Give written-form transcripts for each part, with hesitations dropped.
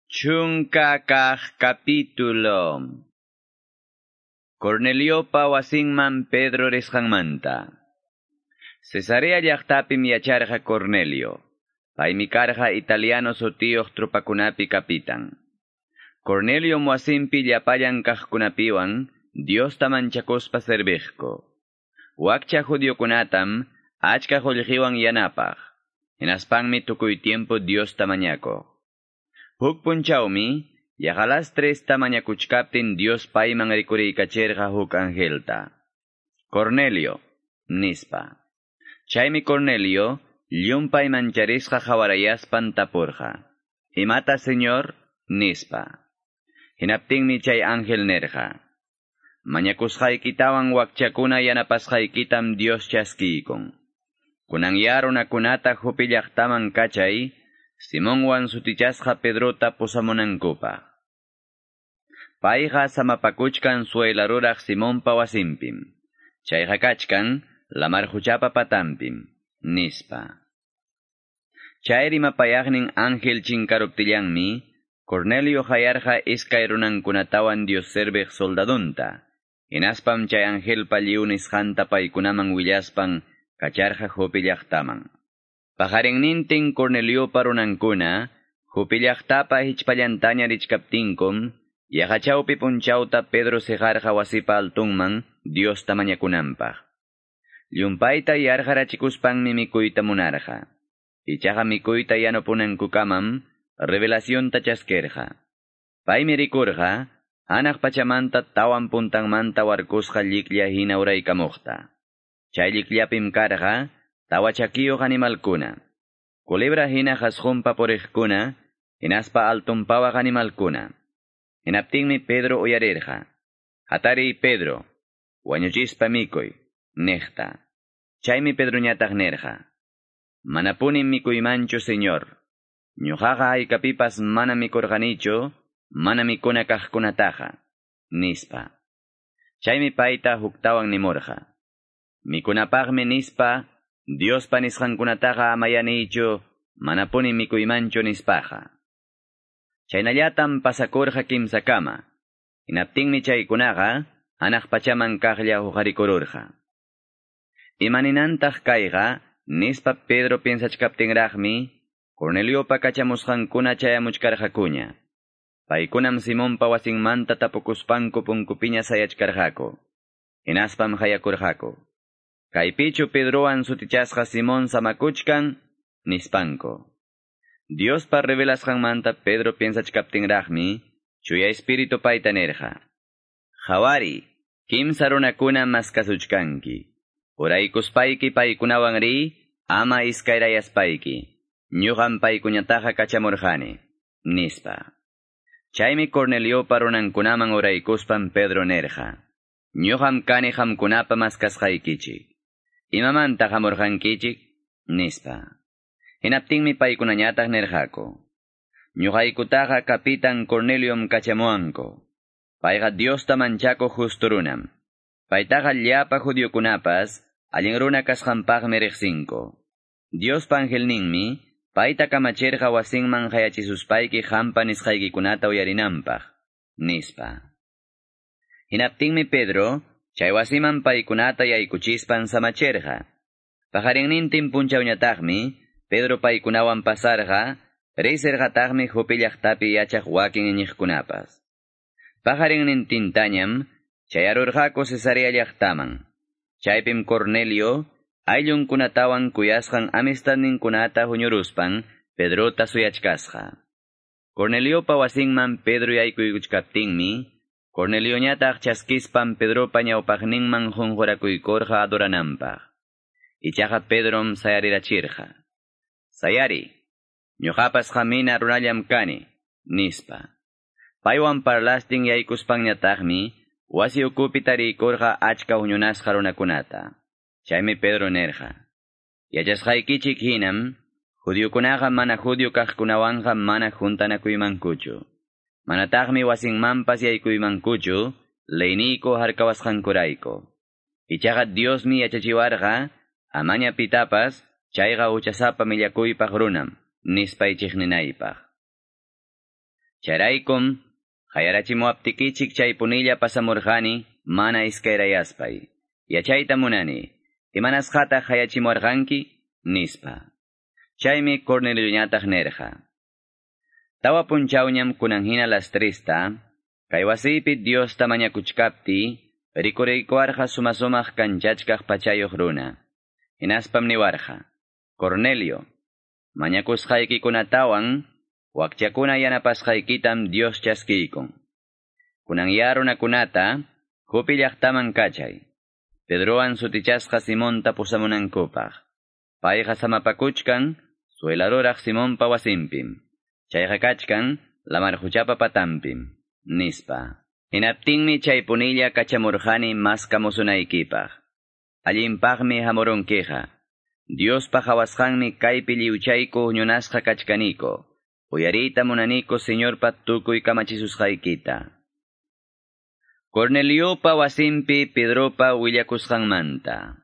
Chunka kaq capítulo. Corneliopa wasinman Pedro risqanmanta. Cesarea llaqtapim yacharqa Cornelio. Paymi karqa italiano sutiyuq trupakunapi kapitan. Cornelio wasinpi llapallan kaqkunapiwan Diosta manchakuspa serviqku. Wakcha judiokunatam achka qullqiwan yanapaq. Hinaspanmi tukuy tiempo Diosta mañakuq. Huk punchawmi, yaqa las tresta mañakuchkaptin Dios payman rikuriykacherqa huk angelta. Cornelio, nispa. Chaymi Cornelio, llumpay mancharisqa hawarayaspan tapurqa. Imata, Señor? Nispa. Hinaptinmi chay ángel nerqa. Mañakusqaykitawan wakchakuna yanapasqaykitam Dios chaskiykun. Kunan runakunata Jope llaqtaman kachay, Simonwan sutichasqa Pedrota pusamunankupaq. Payqa samapakuchkan suela ruraq Simonpa wasinpim. Chayqa kachkan lamar huchapa patanpim, nispa. Chay rimapayaqnin ángel chinkaruptillanmi, Cornelio hayarqa iskay runankunatawan Dios serviq soldadunta. Hinaspam chay angelpa lliw nisqanta paykunaman willaspan kacharqa Jope llaqtaman. Paqarinnintin Corneliopa runankuna, Jope llaqtapa hichpallantaña richkaptinkum, yaqa chawpi punchawta Pedro siqarqa wasipa altunman Diosta mañakunanpaq. Llumpayta yarqarachikuspanmi mikuyta munarqa. Ichaqa mikuyta yanupunankukamam revelacionta chaskirqa. Paymi rikurqa, hanaq pachamanta tawan puntanmanta warkusqa lliklla hina uraykamuqta. Chay llikllapim karqa, tawa chakiyuq animalkuna. Culebra hina qasqunpa puriqkuna, hinaspa altunpawaq animalkuna. Hinaptinmi Pedro uyarirqa. Hatariy Pedro, wañuchispa mikuy, niqta. Chaymi Pedroñataq nirqa. Manapunim mikuymanchu, Señor. Ñuqaqa haykapipas mana mikurqanichu, mana mikuna kaqkunataqa, nispa. Chaymi payta huktawan nimurqa. Mikunapaqmi nispa, Diospa nisqankunataqa amayanichu, manapuni mikuymanchu nispaqa. Chaynallatam pasakurqa kimsakama. Hinaptinmi chaykunaqa hanaq pachaman kaqlla huqarikururqa. Imaninantaq kayqa, nispa Pedro piensachkaptinraqmi, Corneliopa kachamusqankuna chayamuchkarqakuña. Paykunam Simonpa wasinmanta tapukuspanku punkupiña sayachkarqaku. Hinaspam hayakurqaku. Kaypichu Pedrowan sutichasqa Simón samakuchkan, nispanku. Diospa revelasqanmanta Pedro piensachkaptinraqmi, Chuya Espíritu payta nirqa. Qhawari, kimsa runakuna maskasuchkanki. Uraykuspayki paykunawan riy, ama iskayrayaspayki. Ñuqam paykuñataqa kachamurqani, nispa. Chaymi Corneliopa runankunaman uraykuspan Pedro nirqa. Ñuqam kani qamkunapa maskasqaykichik. Imamanta hamurqankichik, nispa. Hinaptinmi paykunañataq nirqaku. Ñuqaykutaqa kapitan Corneliom kachamuwanku. Payqa Diosta manchakuq justo runam. Paytaqa llapa judiokunapas allin runa kasqanpaqmi riqsinku. Diospa angelninmi payta kamachirqa wasinman hayachisuspayki qampa nisqaykikunata uyarinanpaq, nispa. Hinaptinmi Pedro chay wasiman paykunata yaykuchispan samachirqa. Paqarinnintin punchawñataqmi Pedro paykunawan pasarqa, riysirqataqmi Jope llaqtapi yachaq wakin iñiqkunapas. Paqarinnintintañam chayarurqaku Cesarea llaqtaman. Chaypim Cornelio ayllunkunatawan kuyasqan amistadninkunata huñuruspan Pedrota suyachkasqa. Corneliopa wasinman Pedro yaykuykuchkaptinmi, Cornelioñataq chaskispan Pedropa ñawpaqninman qunqurakuykurqa adorananpaq. Ichaqa Pedrom sayarirachirqa. Sayari, ñuqapas qamina runallam kani, nispa. Paywan parlastin yaykuspanñataqmi, wasi ukupi tariykurqa achka huñunasqa runakunata. Chaymi Pedro nirqa. Yachasqaykichik hinam, judiokunaqa mana judio kaqkunawanqa mana juntanakuymankuchu. Manataqmi wasinmanpas yaykuymankuchu, leyniyku harkawasqankurayku. Ichaqa Diosmi yachachiwarqa, amaña pitapas, chayqa huchasapa millakuypaq runam, nispay chiqninaypaq. Chayraykum qayarachimuwaptikichik chaypunilla pasamurqani mana iskayrayaspay. Yachayta munani, imanasqataq qayachimuwarqanki? Nispa. Chaymi Cornelioñataq nirqa: Tawa punchawñam kunan hina las trista, kay wasiypi Diosta mañakuchkaptiy, rikuriykuwarqa suma-sumaq kanchachkaq pachayuq runa. Hinaspam niwarqa: Cornelio, mañakusqaykikunatawan wakchakuna yanapasqaykitam Dios chaskiykun. Kunan ya runakunata Jope llaqtaman kachay. Pedrowan sutichasqa Simonta pusamunankupaq. Payqa samapakuchkan suela ruraq Simonpa wasinpim. Chayqa kachkan lamar quchapa patanpim, nispa. Hinaptinmi chaypunilla kachamurqani maskamusunaykipaq. Allinpaqmi hamurunkiqa. Diospa qawasqanmi kaypi lliwchayku huñunasqa kachkaniko. Uyariyta munaniku Señorpa tukuy kamachisusqaykita. Corneliopa wasinpi Pedropa willakusqanmanta.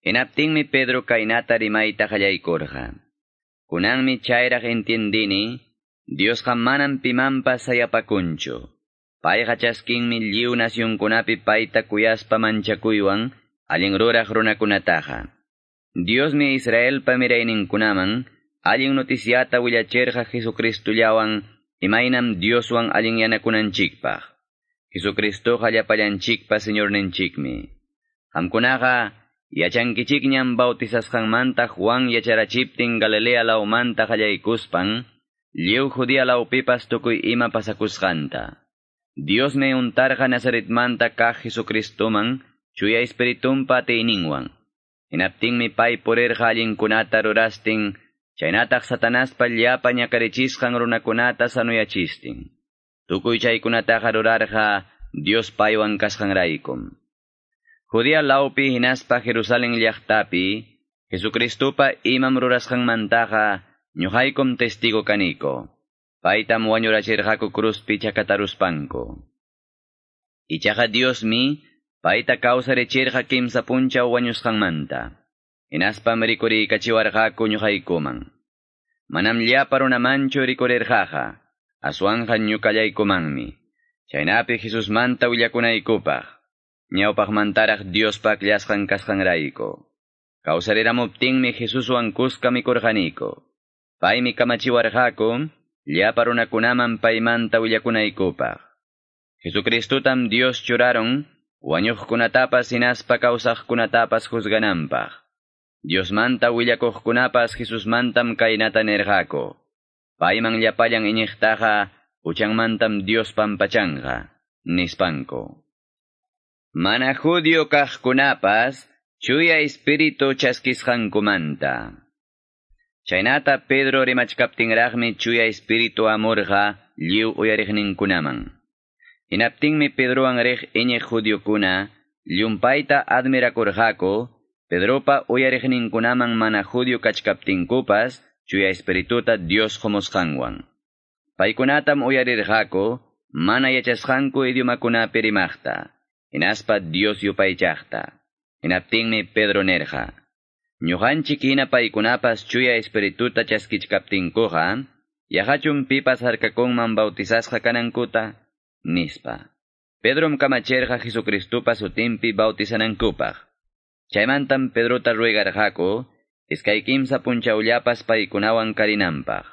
Hinaptinmi Pedro kaynata rimayta qallaykurqa: Kunanmi chayraq entiendini, Diosqa manam pimanpas sayapakunchu. Payqa chaskinmi lliw nacionkunapi payta kuyaspa manchakuywan allin ruraq runakunataqa. Diosmi Israelpa mirayninkunaman allin noticiata willachirqa Jesucristullawan imaynam Dioswan allinyanakunanchikpaq. Jesucristoqa llapallanchikpa Señorninchikmi. Qamkunaqa yachankichikñam bautizasqanmanta Juan yacharachiptin Galilea lawmanta qallaykuspan, lliw Judea lawpipas tukuy ima pasakusqanta. Diosmi untarqa Nazaretmanta kaq Jesucristoman Chuya Espiritunpa atiyninwan. Hinaptinmi pay purirqa allinkunata rurastin, chaynataq Satanaspa llapa ñakarichisqan runakunata sanuyachistin. Tukuy chaykunataqa rurarqa Dios paywan kasqanraykum. Judea lawpi hinaspa Jerusalén llaqtapi, Jesucristopa imam rurasqanmantaqa ñuqaykum testigo kaniko. Paytam wañurachirqaku cruzpi chakataruspanku. Ichaqa Diosmi payta kawsarichirqa kimsa punchaw wañusqanmanta. Hinaspam rikuriykachiwarqaku ñuqaykuman. Manam llapa runamanchu rikurirqaqa, aswanqa ñuqallaykumanmi. Chaynapi Jesusmanta willakunaykupaq, ñawpaqmantaraq Diospa akllasqan kasqanrayku. Kawsariramuptinmi Jesuswan kuska mikurqaniku. Paymi kamachiwarqaku llapa runakunaman paymanta willakunaykupaq. Jesucristotam Dios churaron wañuqkunatapas hinaspa kawsaqkunatapas juzgananpaq. Diosmanta willakuqkunapas Jesusmantam kaynata nirqaku: Payman llapallan iñiqtaqa huchanmantam Dios pampachanqa, nispanku. Mana judío kaqkunapas Chuya Espíritu chaskisqankumanta. Chaynata Pedro rimachkaptinraqmi Chuya Espíritu hamurqa lliw uyariqninkunaman. Hinaptinmi Pedrowan riq iñiq judiokuna llumpayta admirakurqaku Pedropa uyariqninkunaman mana judío kachkaptinkupas Chuya Espirituta Dios qumusqanwan. Paykunatam uyarirqaku mana yachasqanku idiomakunapi rimaqta, hinaspa Dios yupaychaqta. Hinaptinmi Pedro nirqa: Ñuqanchik hina paykunapas Chuya Espirituta chaskichkaptinkuqa, yaqachum pipas harkakunman bautizasqa kanankuta, nispa. Pedrom kamachirqa Jesucristopa sutinpi bautizanankupaq. Chaymantam Pedrota ruegarqaku iskay kimsa punchawllapas paykunawan karinanpaq.